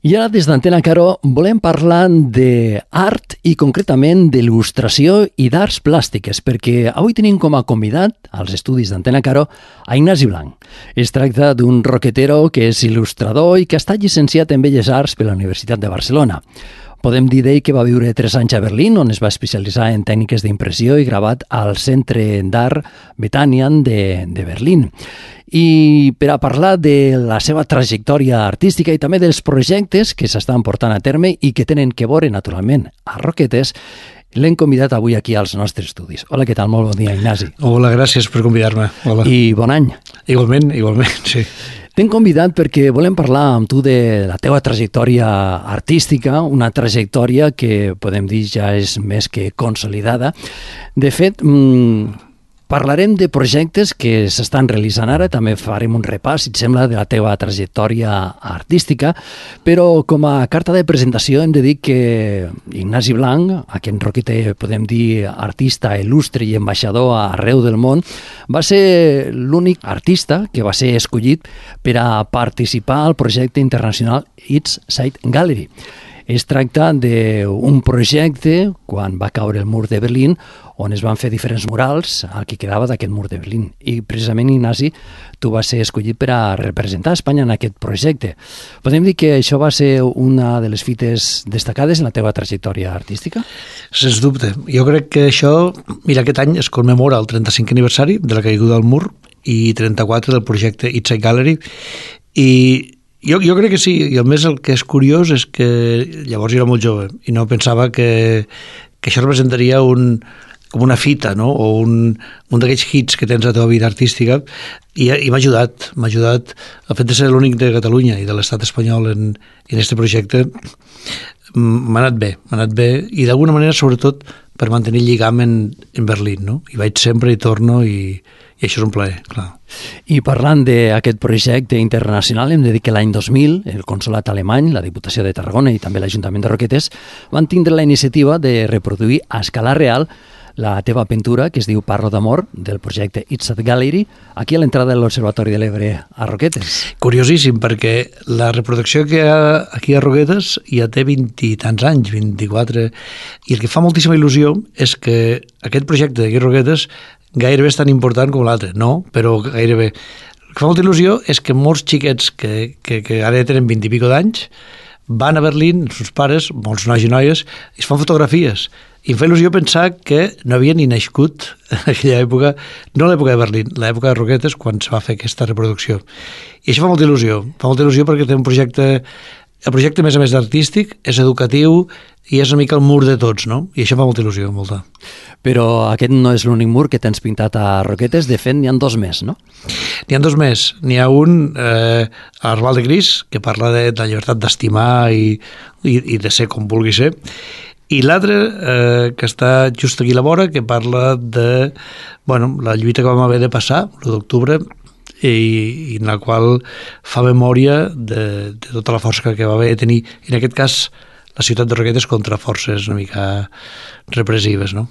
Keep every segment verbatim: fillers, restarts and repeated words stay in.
I ara des d'Antena Caro volem parlar d'art i concretament d'il·lustració i d'arts plàstiques, perquè avui tenim com a convidat als estudis d'Antena Caro a Ignasi Blanc. Es tracta d'un roquetero que és il·lustrador i que està llicenciat en Belles Arts per la Universitat de Barcelona. Podem dir d'ell que va viure tres anys a Berlín, on es va especialitzar en tècniques d'impressió i gravat al Centre d'Art Bethanien de, de Berlín. I per a parlar de la seva trajectòria artística i també dels projectes que s'estan portant a terme i que tenen que veure, naturalment, a Roquetes, l'hem convidat avui aquí als nostres estudis. Hola, què tal? Molt bon dia, Ignasi. Hola, gràcies per convidar-me. Hola. I bon any. Igualment, igualment, sí. T'hem convidat perquè volem parlar amb tu de la teva trajectòria artística, una trajectòria que podem dir ja és més que consolidada. De fet, mmm, parlarem de projectes que s'estan realitzant ara, també farem un repàs, si et sembla, de la teva trajectòria artística, però com a carta de presentació hem de dir que Ignasi Blanc, aquest roqueter, podem dir, artista il·lustre i ambaixador arreu del món, va ser l'únic artista que va ser escollit per a participar al projecte internacional East Side Gallery. Es tracta d'un projecte, quan va caure el mur de Berlín, on es van fer diferents murals al que quedava d'aquest mur de Berlín. I precisament, Ignasi, tu vas ser escollit per a representar Espanya en aquest projecte. Podem dir que això va ser una de les fites destacades en la teva trajectòria artística? Sens dubte. Jo crec que això, mira, aquest any es commemora el trenta-cinquè aniversari de la caiguda del mur i trenta-quatre del projecte East Side Gallery, i Jo, jo crec que sí, i a més el que és curiós és que llavors jo era molt jove i no pensava que, que això representaria un, com una fita, no? O un, un d'aquells hits que tens a la teva vida artística, i, i m'ha ajudat, m'ha ajudat el fet de ser l'únic de Catalunya i de l'estat espanyol en, en este projecte. M'ha anat bé, m'ha anat bé, i d'alguna manera sobretot per mantenir el lligam en, en Berlín, no? I vaig sempre i torno, i, i això és un plaer, clar. I parlant d'aquest projecte internacional, hem de dir que l'any dos mil el Consolat Alemany, la Diputació de Tarragona i també l'Ajuntament de Roquetes van tindre la iniciativa de reproduir a escala real la teva pintura, que es diu Parlo d'amor, del projecte East Side Gallery, aquí a l'entrada de l'Observatori de l'Ebre a Roquetes. Curiosíssim, perquè la reproducció que hi ha aquí a Roquetes ja té vint i tants anys, vint-i-quatre, i el que fa moltíssima il·lusió és que aquest projecte d'aquí a Roquetes gairebé és tan important com l'altre, no, però gairebé. El que fa molta il·lusió és que molts xiquets que, que, que ara tenen vint i pico d'anys van a Berlín, els seus pares, molts nois i noies, i es fan fotografies. I em fa il·lusió pensar que no havia ni nascut en aquella època, no l'època de Berlín, l'època de Roquetes, quan se va fer aquesta reproducció. I això fa molta il·lusió, fa molta il·lusió perquè té un projecte, el projecte a més a més d'artístic, és educatiu i és una mica el mur de tots, no? I això fa molta il·lusió, molta. Però aquest no és l'únic mur que tens pintat a Roquetes, de fet n'hi ha dos més, no? N'hi ha dos més. N'hi ha un, eh, a l'Arbal de Gris, que parla de, de la llibertat d'estimar i, i, i de ser com vulgui ser, i l'altre, eh, que està just aquí a la vora, que parla de, bueno, la lluita que vam haver de passar, l'u d'octubre, i, i en la qual fa memòria de, de tota la força que va haver de tenir, en aquest cas, la ciutat de Roquetes contra forces una mica repressives, no?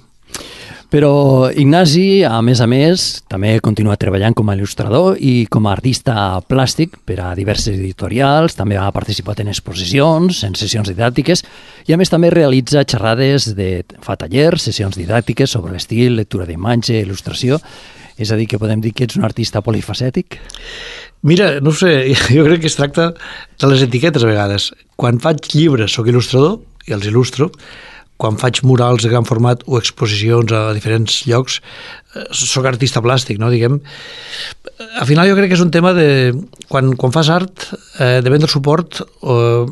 Però Ignasi, a més a més, també continua treballant com a il·lustrador i com a artista plàstic per a diverses editorials, també ha participat en exposicions, en sessions didàctiques, i a més també realitza xerrades, de, fa tallers, sessions didàctiques sobre l'estil, lectura d'imatge, il·lustració. És a dir, que podem dir que ets un artista polifacètic? Mira, no ho sé, jo crec que es tracta de les etiquetes a vegades. Quan faig llibres soc il·lustrador i els il·lustro, quan faig murals de gran format o exposicions a diferents llocs, soc artista plàstic, no, diguem. Al final jo crec que és un tema de... Quan, quan fas art, eh, depèn del suport, eh,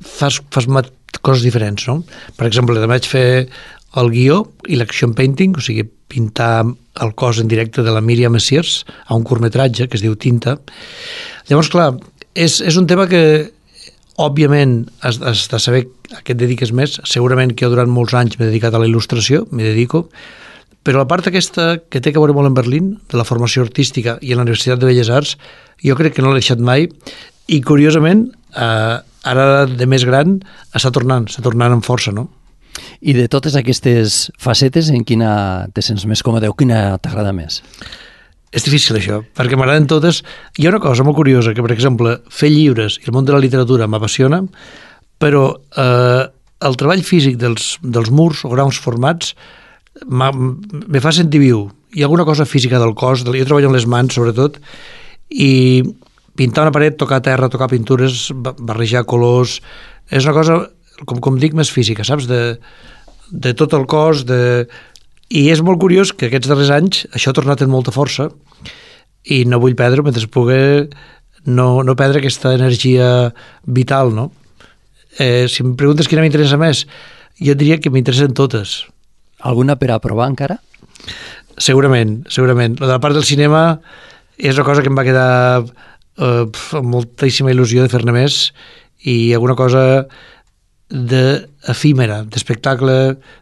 fas, fas coses diferents, no? Per exemple, també vaig fer el guió i l'action painting, o sigui, pintar el cos en directe de la Míriam Messiers a un curtmetratge que es diu Tinta. Llavors, clar, és, és un tema que òbviament has, has de saber a què et dediques més. Segurament que jo durant molts anys m'he dedicat a la il·lustració, m'hi dedico, però la part aquesta que té que veure molt en Berlín, de la formació artística i en la Universitat de Belles Arts, jo crec que no l'he deixat mai, i curiosament, eh, ara de més gran, està tornant, està tornant amb força, no? I de totes aquestes facetes, en quina te sents més còmode o quina t'agrada més? És difícil això, perquè m'agraden totes. Hi ha una cosa molt curiosa, que per exemple, fer llibres i el món de la literatura m'apassiona, però eh, el treball físic dels, dels murs o grans formats me fa sentir viu. Hi ha alguna cosa física del cos, jo treballo amb les mans sobretot, i pintar una paret, tocar terra, tocar pintures, barrejar colors, és una cosa, com, com dic, més física, saps? De, de tot el cos, de... I és molt curiós que aquests darrers anys això ha tornat amb molta força i no vull perdre, mentre pugui, no, no perdre aquesta energia vital, no? Eh, si em preguntes quina m'interessa més, jo diria que m'interessen totes. Alguna per a provar encara? Segurament, segurament. La de la part del cinema és una cosa que em va quedar eh, amb moltíssima il·lusió de fer-ne més, i alguna cosa d'efímera, d'espectacle,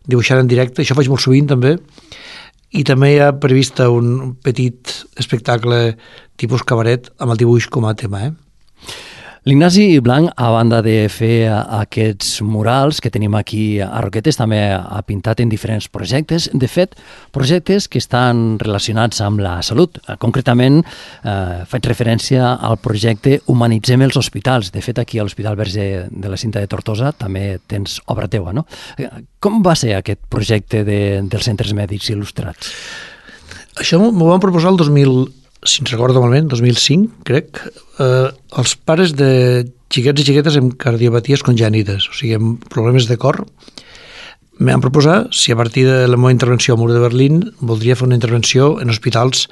dibuixant en directe, això faig molt sovint també, i també hi ha prevista un petit espectacle tipus cabaret amb el dibuix com a tema, eh? L'Ignasi Blanc, a banda de fer aquests murals que tenim aquí a Roquetes, també ha pintat en diferents projectes. De fet, projectes que estan relacionats amb la salut. Concretament, eh, faig referència al projecte Humanitzem els hospitals. De fet, aquí a l'Hospital Verge de la Cinta de Tortosa també tens obra teua, no? Com va ser aquest projecte de, dels centres mèdics il·lustrats? Això m'ho van proposar el dos mil, si ens recordo malament, dos mil cinc, crec, eh, els pares de xiquets i xiquetes amb cardiopaties congènites, o sigui, amb problemes de cor. Em van proposar si a partir de la meva intervenció al Mur de Berlín voldria fer una intervenció en hospitals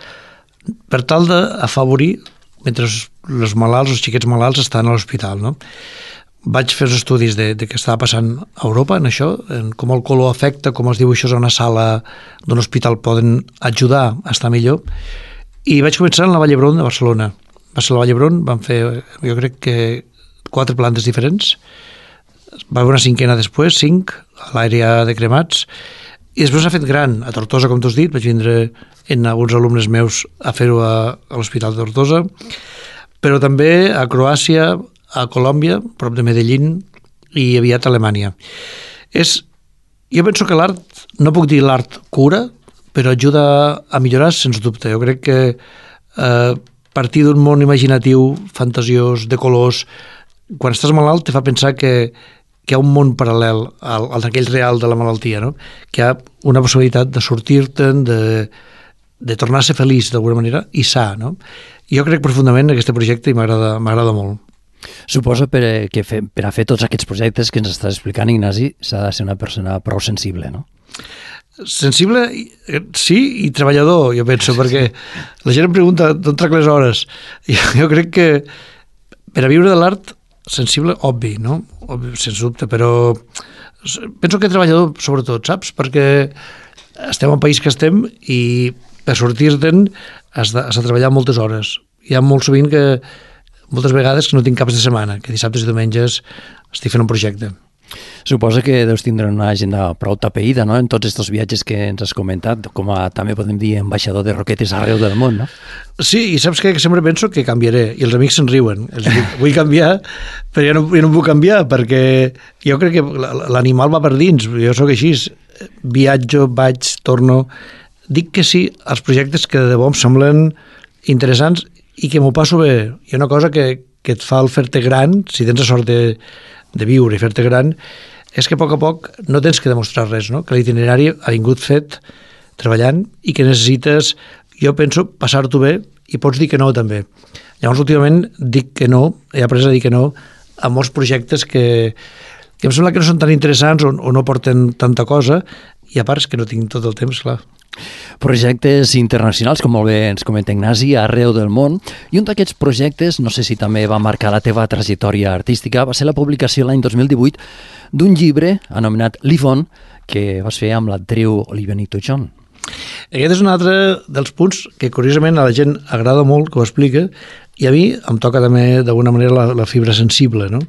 per tal d'afavorir mentre els malalts, els xiquets malalts estan a l'hospital, no? Vaig fer els estudis de, de què estava passant a Europa en això, en com el color afecta, com els dibuixos a una sala d'un hospital poden ajudar a estar millor. I vaig començar en la Vall d'Hebron de Barcelona. Va ser la Vall d'Hebron, vam fer, jo crec que quatre plantes diferents. Va haver una cinquena després, cinc, a l'àrea de cremats. I després s'ha fet gran, a Tortosa, com tu has dit. Vaig vindre en alguns alumnes meus a fer-ho a, a l'Hospital de Tortosa. Però també a Croàcia, a Colòmbia, prop de Medellín, i aviat a Alemanya. És, jo penso que l'art, no puc dir l'art cura, però ajuda a millorar, sens dubte. Jo crec que a eh, partir d'un món imaginatiu, fantasiós, de colors, quan estàs malalt te fa pensar que, que hi ha un món paral·lel al, al d'aquell real de la malaltia, no? Que hi ha una possibilitat de sortir-te'n, de, de tornar a ser feliç d'alguna manera i sa, no? Jo crec profundament en aquest projecte i m'agrada m'agrada molt. Suposo per, que fe, per a fer tots aquests projectes que ens estàs explicant, Ignasi, s'ha de ser una persona prou sensible, no? Sensible, sí, i treballador, jo penso, perquè la gent em pregunta d'on trac les hores. Jo, jo crec que per a viure de l'art, sensible, obvi, no? Obvi, sens dubte, però penso que treballador, sobretot, saps? Perquè estem en país que estem i per sortir-te'n has de, has de treballar moltes hores. Hi ha molt sovint que, moltes vegades, que no tinc caps de setmana, que dissabtes i diumenges estic fent un projecte. Suposa que deus tindre una agenda prou tapeïda, no?, en tots aquests viatges que ens has comentat, com a, també podem dir, ambaixador de Roquetes arreu del món, no? Sí, i saps què? Que sempre penso que canviaré, i els amics se'n riuen. Els dic, vull canviar, però jo no, jo no puc canviar, perquè jo crec que l'animal va per dins, jo sóc així, viatjo, vaig, torno... Dic que sí als projectes que de debò em semblen interessants i que m'ho passo bé. Hi ha una cosa que, que et fa el fer-te gran, si tens la sort de de viure i fer-te gran, és que a poc a poc no tens que demostrar res, no? Que l'itinerari ha vingut fet treballant i que necessites, jo penso, passar-t'ho bé i pots dir que no també. Llavors, últimament, dic que no, he après a dir que no a molts projectes que, que em sembla que no són tan interessants o, o no porten tanta cosa, i a part és que no tinc tot el temps, clar. Projectes internacionals, com molt bé ens comenta Ignasi, arreu del món, i un d'aquests projectes, no sé si també va marcar la teva trajectòria artística, va ser la publicació l'any dos mil divuit d'un llibre anomenat Live On, que vas fer amb l'actriu Olivia Newton-John. Aquest és un altre dels punts que curiosament a la gent agrada molt, que ho explica, i a mi em toca també d'alguna manera la, la fibra sensible, no?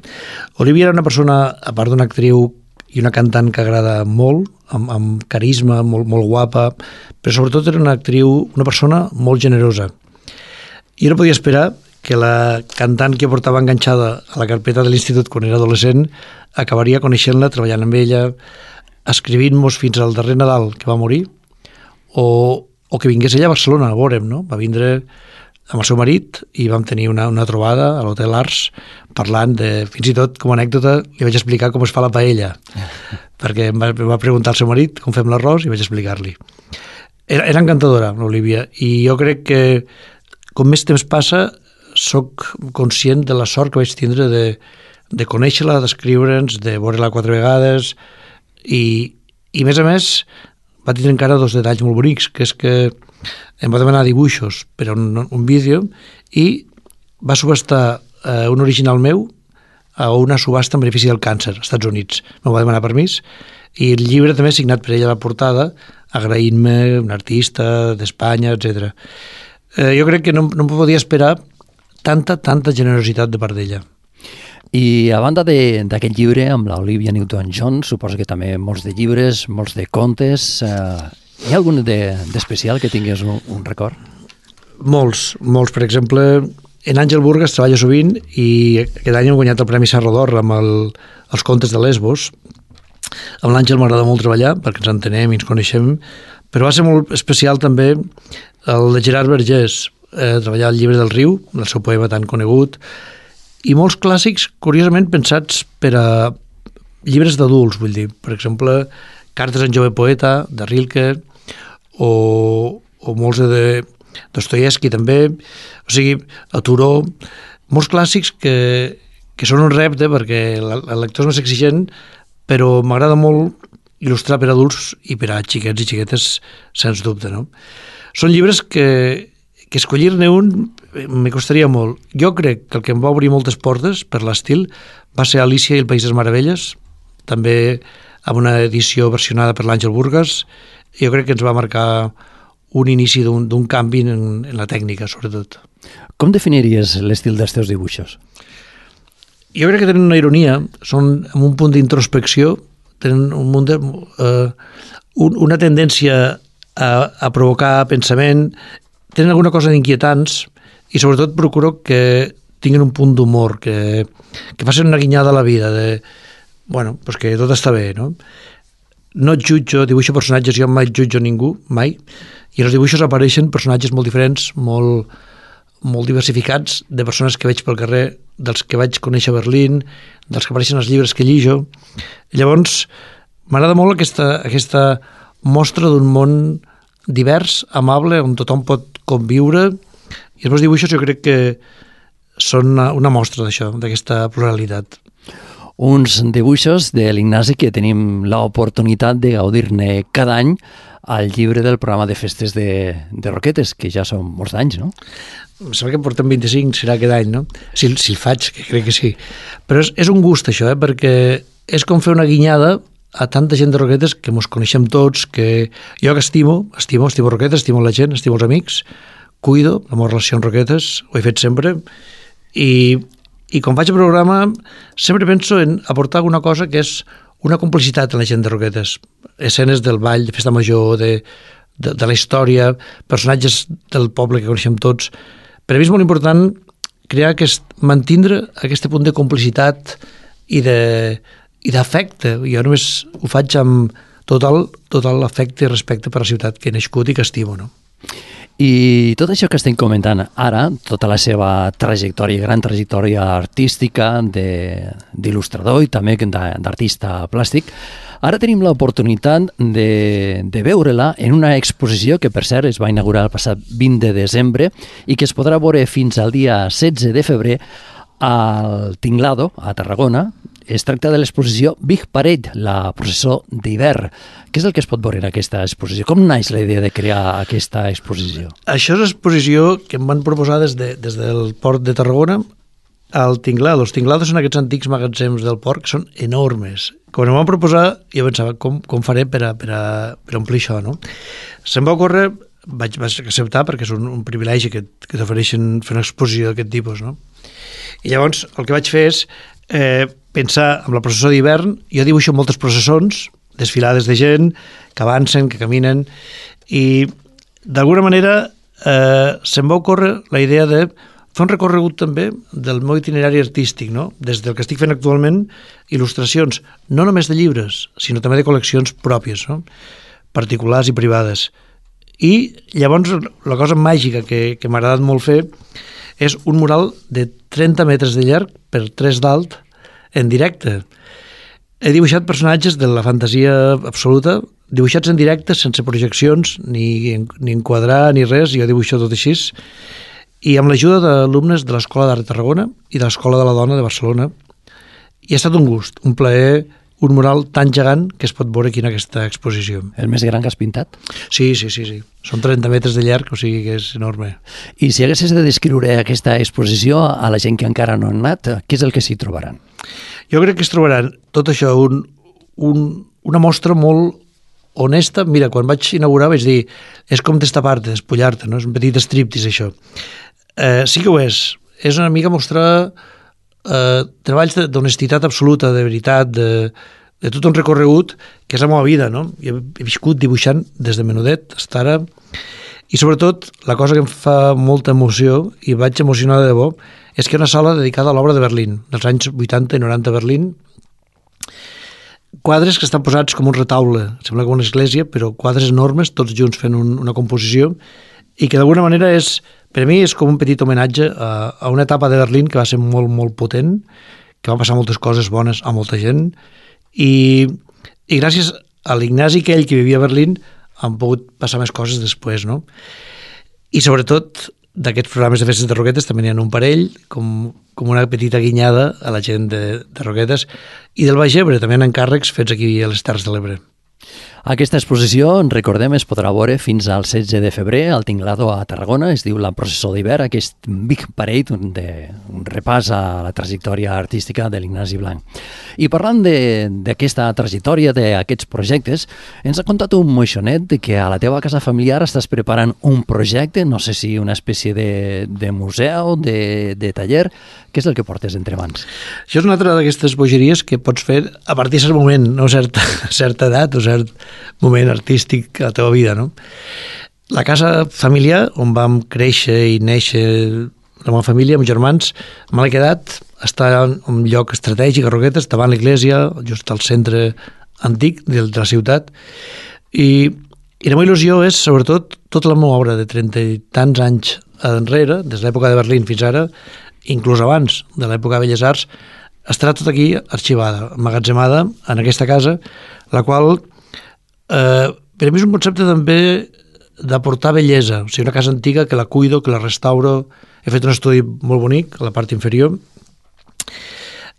Olivia era una persona, a part d'una actriu i una cantant que agrada molt, amb, amb carisma, molt, molt guapa, però sobretot era una actriu, una persona molt generosa. I no podia esperar que la cantant que portava enganxada a la carpeta de l'institut quan era adolescent acabaria coneixent-la, treballant amb ella, escrivint-nos fins al darrer Nadal que va morir, o o que vingués ella a Barcelona, a veure'm, no? Va vindre amb el seu marit i vam tenir una, una trobada a l'Hotel Ars parlant de, fins i tot com a anècdota li vaig explicar com es fa la paella perquè em va, em va preguntar al seu marit com fem l'arròs i vaig explicar-li. Era, era encantadora l'Olivia i jo crec que com més temps passa sóc conscient de la sort que vaig tindre de, de conèixer-la, d'escriure'ns, de veure-la quatre vegades i, i més a més va tindre encara dos detalls molt bonics, que és que em va demanar dibuixos per a un, un vídeo i va subhastar eh, un original meu a una subhasta en benefici del càncer als Estats Units. Me'l va demanar permís i el llibre també signat per ella a la portada agraint-me un artista d'Espanya, etcètera. Eh, jo crec que no, no em podia esperar tanta, tanta generositat de part d'ella. I a banda d'aquest llibre amb l'Olivia Newton-John, suposo que també molts de llibres, molts de contes... Eh, hi ha algun d'especial que tingués un, un record? Molts, molts. Per exemple, en Àngel Burgas treballa sovint i aquest any hem guanyat el Premi Serra d'Or amb el, els contes de Lesbos. Amb l'Àngel m'agrada molt treballar perquè ens entenem i ens coneixem, però va ser molt especial també el de Gerard Vergés, eh, treballar el llibre del riu, el seu poema tan conegut, i molts clàssics, curiosament, pensats per a llibres d'adults, vull dir, per exemple, Cartes en jove poeta, de Rilke, o, o molts de Dostoievski també, o sigui, a Turó, molts clàssics que, que són un repte perquè el lector és més exigent, però m'agrada molt il·lustrar per adults i per a xiquets i xiquetes, sens dubte, no? Són llibres que, que escollir-ne un me costaria molt. Jo crec que el que em va obrir moltes portes per l'estil va ser Alicia i el País de les Meravelles, també amb una edició versionada per l'Àngel Burgas. Jo crec que ens va marcar un inici d'un canvi en, en la tècnica, sobretot. Com definiries l'estil dels teus dibuixos? Jo crec que tenen una ironia, són amb un punt d'introspecció, tenen un munt de, eh, un, una tendència a, a provocar pensament, tenen alguna cosa d'inquietants i sobretot procuro que tinguin un punt d'humor, que, que facin una guinyada a la vida, de, bueno, pues que tot està bé, no? No et jutjo, dibuixo personatges, jo mai jutjo ningú, mai, i en els dibuixos apareixen personatges molt diferents, molt, molt diversificats, de persones que veig pel carrer, dels que vaig conèixer a Berlín, dels que apareixen als llibres que llijo. Llavors, m'agrada molt aquesta, aquesta mostra d'un món divers, amable, on tothom pot conviure, i els meus dibuixos jo crec que són una, una mostra d'això, d'aquesta pluralitat. Uns dibuixos de l'Ignasi que tenim l'oportunitat de gaudir-ne cada any al llibre del programa de festes de, de Roquetes, que ja són molts anys, no? Em sembla que en portem vint-i-cinc, serà aquest any, no? Si, si el faig, que crec que sí. Però és, és un gust, això, eh? Perquè és com fer una guinyada a tanta gent de Roquetes que mos coneixem tots, que jo que estimo, estimo, estimo Roquetes, estimo la gent, estimo els amics, cuido la meva relació amb Roquetes, ho he fet sempre, i, i quan faig el programa sempre penso en aportar alguna cosa que és una complicitat en la gent de Roquetes, escenes del ball, de festa major, de, de, de la història, personatges del poble que coneixem tots. Per a mi és molt important crear aquest, mantindre aquest punt de complicitat i de i d'afecte. Jo només ho faig amb total, total afecte i respecte per la ciutat que he nascut i que estimo, no? I tot això que estem comentant ara, tota la seva trajectòria, gran trajectòria artística d'il·lustrador i també d'artista plàstic, ara tenim l'oportunitat de, de veure-la en una exposició que, per cert, es va inaugurar el passat vint de desembre i que es podrà veure fins al dia setze de febrer al Tinglado, a Tarragona. Es tracta de l'exposició Big Parade, la processó d'hivern. Què és el que es pot veure en aquesta exposició? Com naix la idea de crear aquesta exposició? Això és una exposició que em van proposar des, de, des del port de Tarragona al Tinglado. Els Tinglados són aquests antics magatzems del port que són enormes. Quan em van proposar, jo pensava, com, com faré per, a, per, a, per a omplir això, no? Se'm va ocórrer, vaig, vaig acceptar perquè és un, un privilegi que, que t'ofereixen fer una exposició d'aquest tipus, no? I llavors el que vaig fer és eh, pensar en la processó d'hivern. Jo dibuixo moltes processons, desfilades de gent que avancen, que caminen, i d'alguna manera eh, se'm va ocórrer la idea de fer un recorregut també del meu itinerari artístic, no? Des del que estic fent actualment, il·lustracions, no només de llibres, sinó també de col·leccions pròpies, no? Particulars i privades. I llavors la cosa màgica que, que m'ha agradat molt fer és un mural de trenta metres de llarg per tres d'alt en directe. He dibuixat personatges de la fantasia absoluta, dibuixats en directe, sense projeccions, ni, ni enquadrar, ni res, jo dibuixo tot així, i amb l'ajuda d'alumnes de l'Escola d'Art de Tarragona i de l'Escola de la Dona de Barcelona. I ha estat un gust, un plaer, un mural tan gegant que es pot veure aquí en aquesta exposició. El més gran que has pintat? Sí, sí, sí, sí. Són trenta metres de llarg, o sigui que és enorme. I si haguessis de descriure aquesta exposició a la gent que encara no han anat, què és el que s'hi trobaran? Jo crec que es trobaran tot això, un, un, una mostra molt honesta. Mira, quan vaig inaugurar vaig dir, és com destapar-te, despullar-te, no? És un petit striptease, això. Eh, sí que ho és. És una mica mostrar eh, treballs d'honestitat absoluta, de veritat, de, de tot un recorregut que és la meva vida, no? Jo he viscut dibuixant des de menudet fins ara, i sobretot la cosa que em fa molta emoció, i vaig emocionar de debò, és que hi ha una sala dedicada a l'obra de Berlín, dels anys vuitanta i noranta a Berlín, quadres que estan posats com un retaule, sembla com una església, però quadres enormes, tots junts fent un, una composició, i que d'alguna manera és, per a mi és com un petit homenatge a, a una etapa de Berlín que va ser molt, molt potent, que van passar moltes coses bones a molta gent, i, i gràcies a l'Ignasi aquell que vivia a Berlín han pogut passar més coses després, no? I sobretot d'aquests programes de festes de Roquetes també n'hi ha un parell, com, com una petita guinyada a la gent de, de Roquetes, i del Baix Ebre també hi ha encàrrecs fets aquí a les Terres de l'Ebre. Aquesta exposició, recordem, es podrà veure fins al setze de febrer al Tinglado a Tarragona. Es diu La processó d'hivern, aquest Big Parade, un, de, un repàs a la trajectòria artística de l'Ignasi Blanc. I parlant d'aquesta trajectòria, d'aquests projectes, ens ha contat un moixonet de que a la teva casa familiar estàs preparant un projecte, no sé si una espècie de, de museu, de, de taller. Què és el que portes entre mans? Això és una altra d'aquestes bogeries que pots fer a partir de cert moment, no certa, certa edat o cert moment artístic a la teva vida, no? La casa familiar on vam créixer i néixer la meva família, amb germans, me l'he quedat, està en un lloc estratègic a Roquetes, davant l'església, just al centre antic de la ciutat, i, i la meva il·lusió és, sobretot, tota la meva obra de trenta i tants anys enrere, des de l'època de Berlín fins ara, inclús abans de l'època de Belles Arts, estarà tot aquí arxivada, emmagatzemada en aquesta casa, la qual eh, per a mi és un concepte també d'aportar bellesa, o sigui, una casa antiga que la cuido, que la restauro. He fet un estudi molt bonic a la part inferior,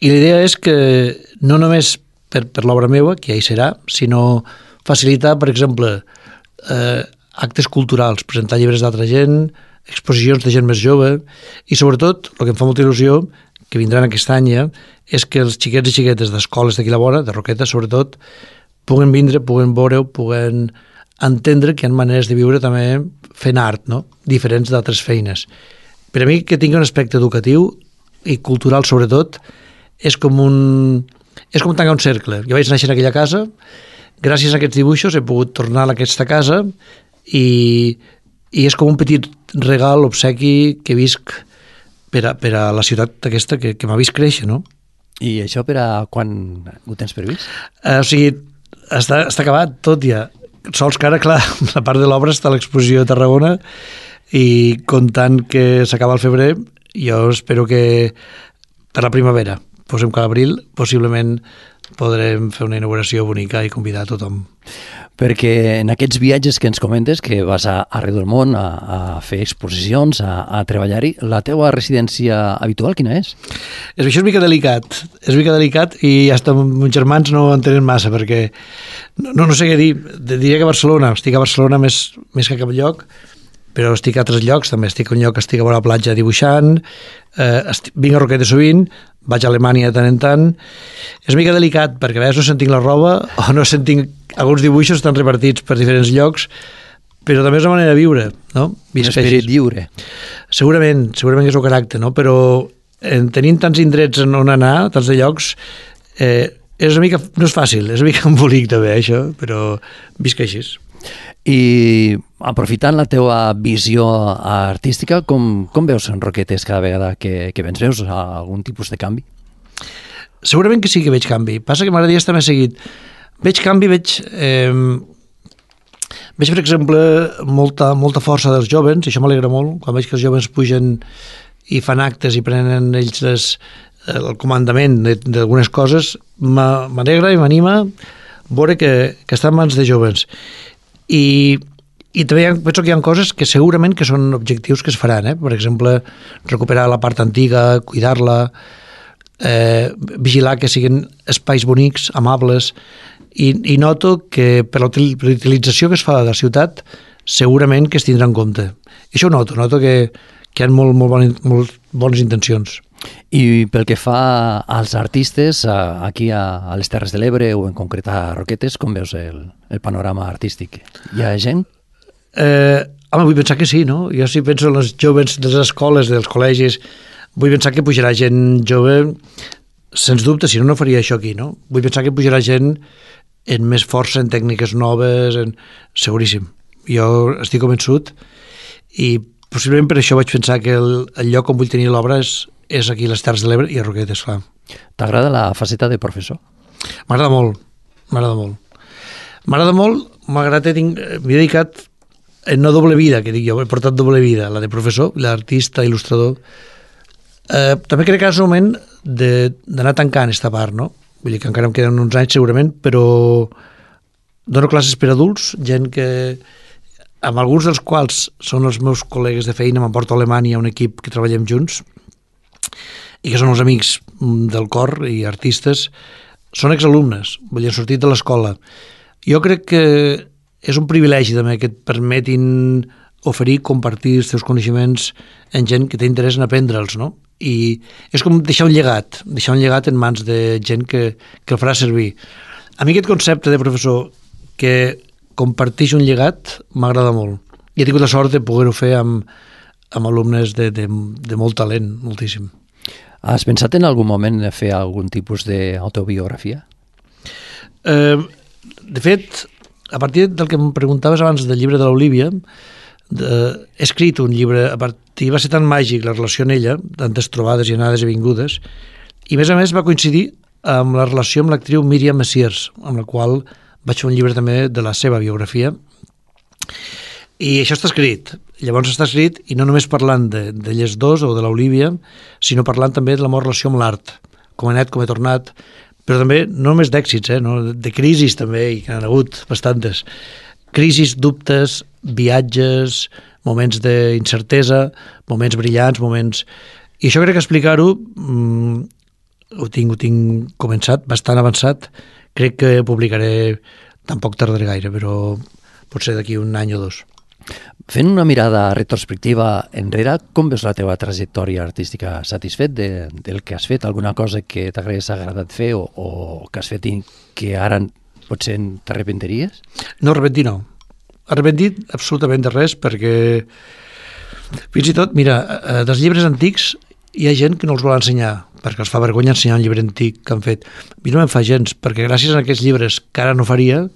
i la idea és que no només per, per l'obra meva, que ja hi serà, sinó facilitar, per exemple, eh, actes culturals, presentar llibres d'altra gent, exposicions de gent més jove, i sobretot, el que em fa molta il·lusió, que vindran aquest any ja, és que els xiquets i xiquetes d'escoles d'aquí la vora, de Roquetes sobretot, puguen vindre, puguen veure, puguen entendre que hi ha maneres de viure també fent art, no? Diferents d'altres feines. Per a mi, que tingui un aspecte educatiu i cultural sobretot, és com un és com tancar un cercle. Jo vaig néixer en aquella casa, gràcies a aquests dibuixos he pogut tornar a aquesta casa i, i és com un petit regal, obsequi que visc per a, per a la ciutat aquesta que, que m'ha vist créixer, no? I això per a quan ho tens previst? Eh, o sigui, està, està acabat tot ja. Sols que ara, clar, la part de l'obra està a l'exposició de Tarragona i comptant que s'acaba el febrer, jo espero que per la primavera, posem que a l'abril, possiblement podrem fer una inauguració bonica i convidar a tothom. Perquè en aquests viatges que ens comentes, que vas a, arreu del món a, a fer exposicions, a, a treballar-hi, la teua residència habitual quina és? És, això és mica delicat, és mica delicat i hasta meus germans no ho entenen massa perquè no, no sé què dir, diria que a Barcelona, estic a Barcelona més, més que a cap lloc, però estic a altres llocs, també estic a un lloc que estic a vora la platja dibuixant, eh, estic, vinc a Roquetes sovint, vaig a Alemanya de tant en tant. És mica delicat, perquè a vegades no sentim la roba o no sentim... Alguns dibuixos estan repartits per diferents llocs, però també és una manera de viure, no? Un esperit lliure. Segurament, segurament és el caràcter, no? Però en, tenint tants indrets en on anar, tants de llocs, eh, és una mica... no és fàcil, és una mica embolic també, això, però visc així. I aprofitant la teua visió artística, com, com veus en Roquetes cada vegada que, que vens? Veus algun tipus de canvi? Segurament que sí que veig canvi. Passa que m'agradaria estar més seguit. Veig canvi, veig... Eh, Veig, per exemple, molta, molta força dels joves, i això m'alegra molt, quan veig que els joves pugen i fan actes i prenen ells les, el comandament d'algunes coses, m'alegra i m'anima veure que, que està en mans de joves. I, i també ha, penso que hi ha coses que segurament que són objectius que es faran, eh? Per exemple, recuperar la part antiga, cuidar-la, eh, vigilar que siguin espais bonics, amables, i, i noto que per la utilització que es fa de la ciutat segurament que es tindrà en compte. I això ho noto, noto que, que hi ha molt, molt, bones, molt bones intencions. I pel que fa als artistes, aquí a les Terres de l'Ebre o en concret a Roquetes, com veus el, el panorama artístic? Hi ha gent? Eh, home, vull pensar que sí, no? Jo sí penso en els joves de les escoles, dels col·legis, vull pensar que pujarà gent jove, sens dubte, si no, no faria això aquí, no? Vull pensar que pujarà gent en més força, en tècniques noves, en... seguríssim. Jo estic convençut i possiblement per això vaig pensar que el, el lloc on vull tenir l'obra és, és aquí a les Terres de l'Ebre i a Roquetes, clar. T'agrada la faceta de professor? M'agrada molt, m'agrada molt. M'agrada molt, malgrat que m'he dedicat en una doble vida, que dic jo, he portat doble vida, la de professor, l'artista, il·lustrador. Eh, també crec que és el moment d'anar tancant aquesta part, no? Vull dir que encara em queden uns anys segurament, però dono classes per adults, gent que, amb alguns dels quals són els meus col·legues de feina, m'emporto a Alemanya un equip que treballem junts, i que són els amics del cor i artistes, són exalumnes, vull dir, han sortit de l'escola. Jo crec que és un privilegi també que et permetin oferir, compartir els teus coneixements en gent que té interès en aprendre'ls, no? I és com deixar un llegat, deixar un llegat en mans de gent que, que el farà servir. A mi aquest concepte de professor que comparteix un llegat m'agrada molt. I he tingut la sort de poder-ho fer amb, amb alumnes de, de, de molt talent, moltíssim. Has pensat en algun moment de fer algun tipus d'autobiografia? Eh, de fet, a partir del que em preguntaves abans del llibre de l'Olívia, De, he escrit un llibre a partir, va ser tan màgic la relació en ella, tantes trobades i anades i vingudes, i a més a més va coincidir amb la relació amb l'actriu Míriam Messiers, amb la qual vaig fer un llibre també de la seva biografia, i això està escrit. Llavors està escrit, i no només parlant d'elles dos o de l'Olívia, sinó parlant també de la meva relació amb l'art, com he anat, com he tornat, però també no només d'èxits, eh, no? De crisis també, i que n'han hagut bastantes. Crisis, dubtes, viatges, moments d'incertesa, moments brillants, moments... I això crec que explicar-ho mmm, ho, tinc, ho tinc començat, bastant avançat. Crec que publicaré, tampoc tardaré gaire, però potser d'aquí un any o dos. Fent una mirada retrospectiva enrere, com veus la teva trajectòria artística? Satisfet de, del que has fet? Alguna cosa que t'hagués agradat fer o, o que has fet i que ara potser t'arrepentiries? No, arrepentir no. Arrepentit absolutament de res, perquè fins i tot, mira, dels llibres antics hi ha gent que no els vol ensenyar, perquè els fa vergonya ensenyar un llibre antic que han fet. A mi no me'n fa gens, perquè gràcies a aquests llibres que ara no faria,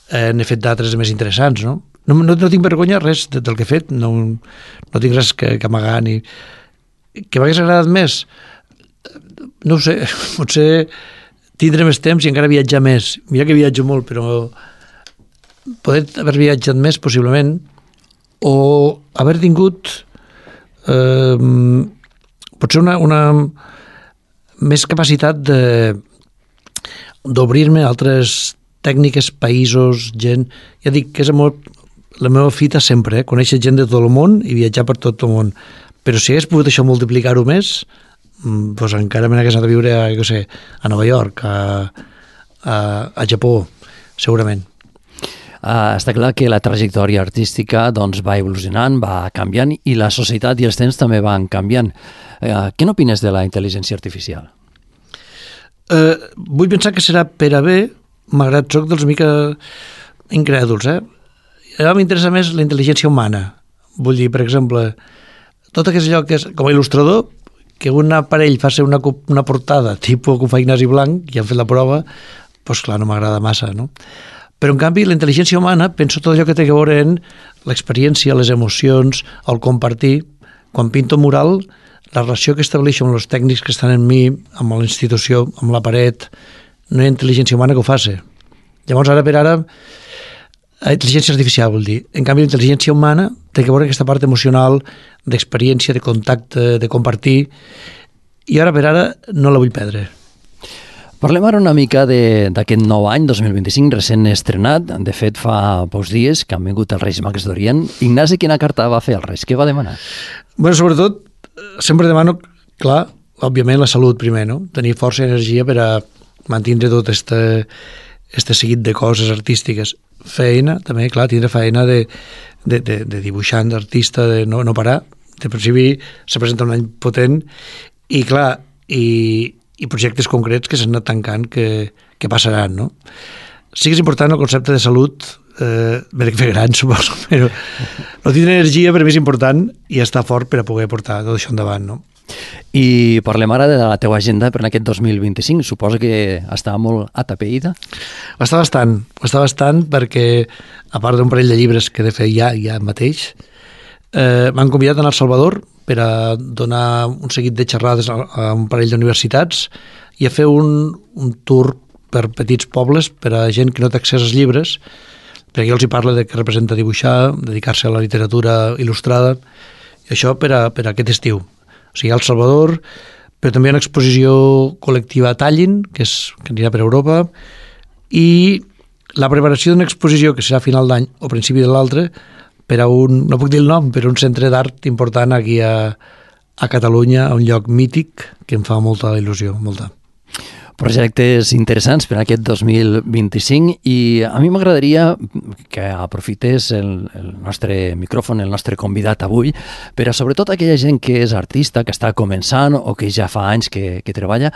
eh, n'he fet d'altres més interessants, no? No, no, no tinc vergonya res del que he fet, no, no tinc res que, que amagar, ni... Que m'hagués agradat més? No ho sé, potser tindre més temps i encara viatjar més. Mira que viatjo molt, però poder haver viatjat més, possiblement, o haver tingut eh, potser una, una més capacitat de d'obrir-me a altres tècniques, països, gent... Ja dic que és molt, la meva fita sempre, eh? Conèixer gent de tot el món i viatjar per tot el món. Però si hagués pogut això multiplicar-ho més, doncs encara me n'hagués anat a viure a, jo sé, a Nova York, a, a, a Japó, segurament. Uh, està clar que la trajectòria artística doncs, va evolucionant, va canviant i la societat i els temps també van canviant. Uh, què n'opines de la intel·ligència artificial? Uh, vull pensar que serà per a bé, malgrat soc dels mica incrèduls. Eh? A mi m'interessa més la intel·ligència humana. Vull dir, per exemple, tot aquest allò que és, com a il·lustrador, que un aparell faci una, una portada tipus que ho fa Ignasi Blanc, i han fet la prova, doncs clar, no m'agrada massa, no? Però, en canvi, la intel·ligència humana, penso tot allò que té a veure en l'experiència, les emocions, el compartir. Quan pinto un mural, la relació que estableixo amb els tècnics que estan en mi, amb la institució, amb la paret, no hi ha intel·ligència humana que ho faci. Llavors, ara per ara, Intel·ligència artificial, vol dir. En canvi, l'intel·ligència humana té que veure aquesta part emocional, d'experiència, de contacte, de compartir, i ara per ara no la vull perdre. Parlem ara una mica d'aquest nou any, dos mil vint-i-cinc, recent estrenat. De fet, fa pocs dies que han vingut els Reis Mags d'Orient. Ignasi, quina carta va fer als Reis? Què va demanar? Bueno, sobretot, sempre demano, clar, òbviament la salut primer, no? Tenir força i energia per a mantenir tot este, este seguit de coses artístiques. Feina, també, clar, tindre feina de, de, de, de dibuixant, d'artista, de no, no parar. De principi se presenta un any potent i, clar, i, i projectes concrets que s'han anat tancant que, que passaran, no? Sí que és important el concepte de salut, eh, m'he de fer gran, suposo, però no tindre energia per mi és important i estar fort per a poder portar tot això endavant, no? I parlem ara de la teva agenda per aquest dos mil vint-i-cinc. Suposo que està molt atapeïda. Està bastant, està bastant perquè, a part d'un parell de llibres que he de fer ja, ja mateix, eh, m'han convidat a anar al Salvador per a donar un seguit de xerrades a, a un parell d'universitats i a fer un, un tour per petits pobles per a gent que no té accés als llibres, perquè jo els hi parlo de què representa dibuixar, dedicar-se a la literatura il·lustrada, i això per a, per a aquest estiu. O sigui, al Salvador, però també hi ha una exposició col·lectiva a Tallinn, que, és, que anirà per Europa, i la preparació d'una exposició que serà a final d'any o principi de l'altre, per a un, no puc dir el nom, per a un centre d'art important aquí a, a Catalunya, a un lloc mític que em fa molta il·lusió, molta. Projectes interessants per aquest dos mil vint-i-cinc i a mi m'agradaria que aprofités el, el nostre micròfon, el nostre convidat avui, per a sobretot aquella gent que és artista, que està començant o que ja fa anys que, que treballa,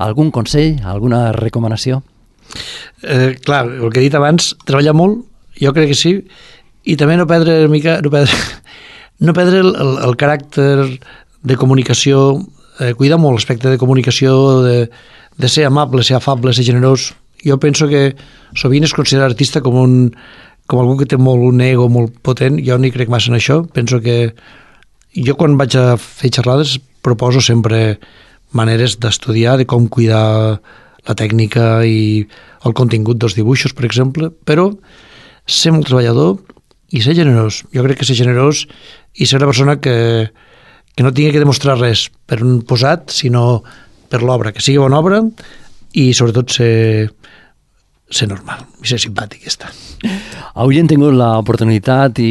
algun consell, alguna recomanació? Eh, clar, el que he dit abans, treballar molt, jo crec que sí, i també no perdre una mica, no perdre, no perdre el, el, el caràcter de comunicació, eh, cuidar molt l'aspecte de comunicació, de de ser amable, ser afable, ser generós. Jo penso que sovint es considera artista com, un, com algú que té molt un ego molt potent. Jo no hi crec massa en això. Penso que jo quan vaig a fer xerrades proposo sempre maneres d'estudiar, de com cuidar la tècnica i el contingut dels dibuixos, per exemple, però ser molt treballador i ser generós. Jo crec que ser generós i ser una persona que, que no tingui que demostrar res per un posat, sinó per l'obra, que sigui bona obra i sobretot ser, ser normal i ser simpàtic, ja està. Avui hem tingut l'oportunitat i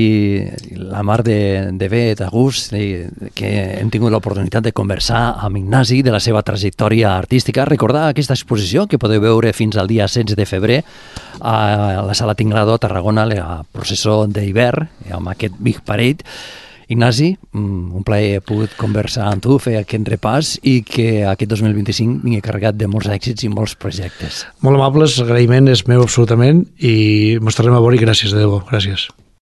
la mar de, de bé, de gust, de, que hem tingut l'oportunitat de conversar amb Ignasi de la seva trajectòria artística. Recordar aquesta exposició que podeu veure fins al dia setze de febrer a la Sala Tinglado a Tarragona, la processó d'hivern, amb aquest Big Parade. Ignasi, un plaer pogut conversar amb tu, fer aquest repàs i que aquest dos mil vint-i-cinc vingui carregat de molts èxits i molts projectes. Molt amables, l'agraïment és meu absolutament i mos tornem a veure i gràcies, de debò, gràcies.